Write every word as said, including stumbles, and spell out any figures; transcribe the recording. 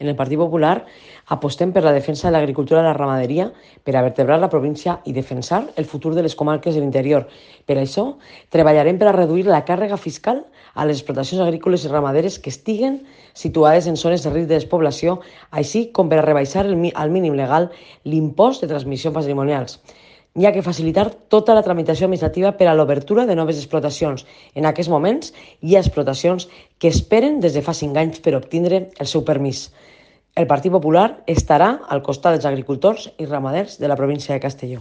En el Partit Popular apostem per la defensa de l'agricultura i la ramaderia per a vertebrar la província i defensar el futur de les comarques de l'interior. Per això, treballarem per a reduir la càrrega fiscal a les explotacions agrícoles i ramaderes que estiguen situades en zones de risc de despoblació, així com per a rebaixar el, al mínim legal l'impost de transmissions patrimonials. Hi ha que facilitar tota la tramitació administrativa per a l'obertura de noves explotacions. En aquests moments hi ha explotacions que esperen des de fa cinc anys per obtindre el seu permís. El Partit Popular estarà al costat dels agricultors i ramaders de la província de Castelló.